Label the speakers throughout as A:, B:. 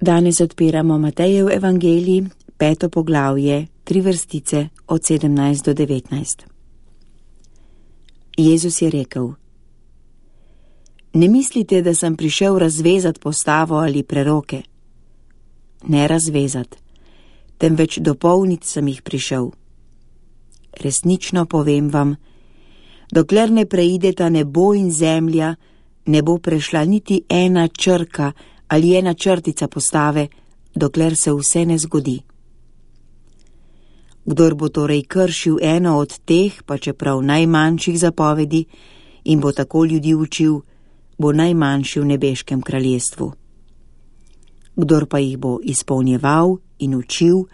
A: Danes odpiramo Matejev evangelij, 5. poglavje, 3 vrstice od 17 do 19. Jezus je rekel: Ne mislite, da sem prišel razvezat postavo ali preroke. Ne razvezat, temveč dopolnit sem jih prišel. Resnično povem vam, dokler ne preideta nebo in zemlja, ne bo prešla niti ena črka ali ena črtica postave, dokler se vse ne zgodi. Kdor bo torej kršil eno od teh, pa čeprav najmanjših zapovedi, in bo tako ljudi učil, bo najmanjši v nebeškem kraljestvu. Kdor pa jih bo izpolnjeval in učil,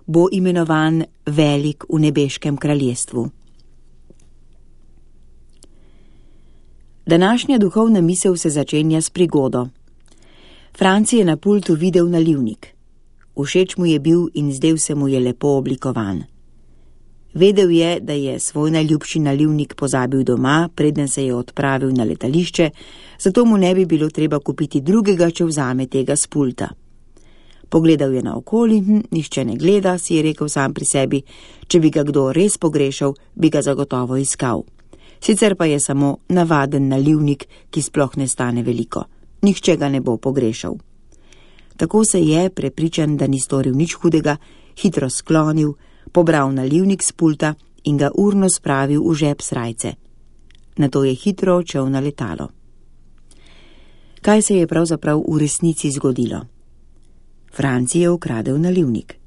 A: bo imenovan velik v nebeškem kraljestvu. Današnja duhovna misel se začenja s prigodo. Franci je na pultu videl nalivnik. Všeč mu je bil in zdel se mu je lepo oblikovan. Vedel je, da je svoj najljubši nalivnik pozabil doma, preden se je odpravil na letališče, zato mu ne bi bilo treba kupiti drugega, če vzame tega s pulta. Pogledal je naokoli, nihče ne gleda, si je rekel sam pri sebi, če bi ga kdo res pogrešal, bi ga zagotovo iskal. Sicer pa je samo navaden nalivnik, ki sploh ne stane veliko. Nihče ga ne bo pogrešal. Tako se je, prepričan, da ni storil nič hudega, hitro sklonil, pobral nalivnik s pulta in ga urno spravil v žep srajce. Nato je hitro odšel na letalo. Kaj se je pravzaprav v resnici zgodilo? Franci je ukradel nalivnik.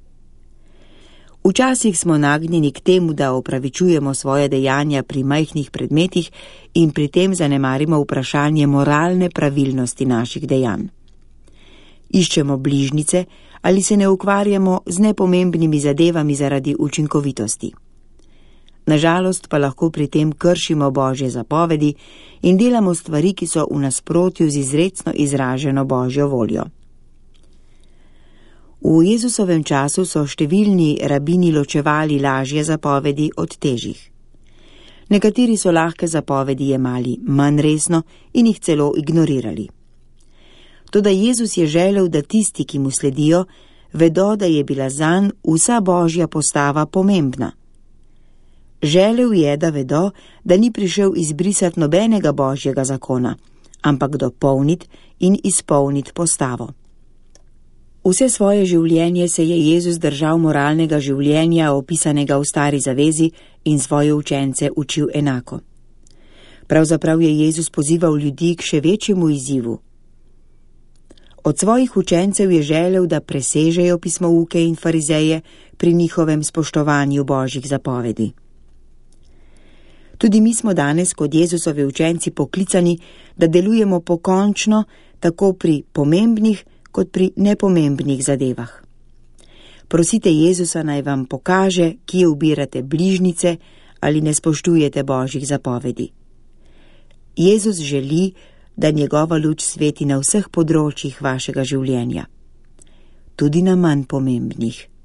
A: Včasih smo nagnjeni k temu, da opravičujemo svoje dejanja pri majhnih predmetih in pri tem zanemarimo vprašanje moralne pravilnosti naših dejanj. Iščemo bližnjice ali se ne ukvarjamo z nepomembnimi zadevami zaradi učinkovitosti. Nažalost pa lahko pri tem kršimo Božje zapovedi in delamo stvari, ki so v nasprotju z izrecno izraženo Božjo voljo. V Jezusovem času so številni rabini ločevali lažje zapovedi od težjih. Nekateri so lahke zapovedi jemali manj resno in jih celo ignorirali. Toda Jezus je želel, da tisti, ki mu sledijo, vedo, da je bila zanj vsa Božja postava pomembna. Želel je, da vedo, da ni prišel izbrisati nobenega Božjega zakona, ampak dopolniti in izpolniti postavo. Vse svoje življenje se je Jezus držal moralnega življenja, opisanega v Stari zavezi, in svoje učence učil enako. Pravzaprav je Jezus pozival ljudi k še večjemu izzivu. Od svojih učencev je želel, da presežejo pismouke in farizeje pri njihovem spoštovanju Božjih zapovedi. Tudi mi smo danes kot Jezusovi učenci poklicani, da delujemo pokončno tako pri pomembnih kot pri nepomembnih zadevah. Prosite Jezusa, naj vam pokaže, kje ubirate bližnjice ali ne spoštujete Božjih zapovedi. Jezus želi, da njegova luč sveti na vseh področjih vašega življenja, tudi na manj pomembnih.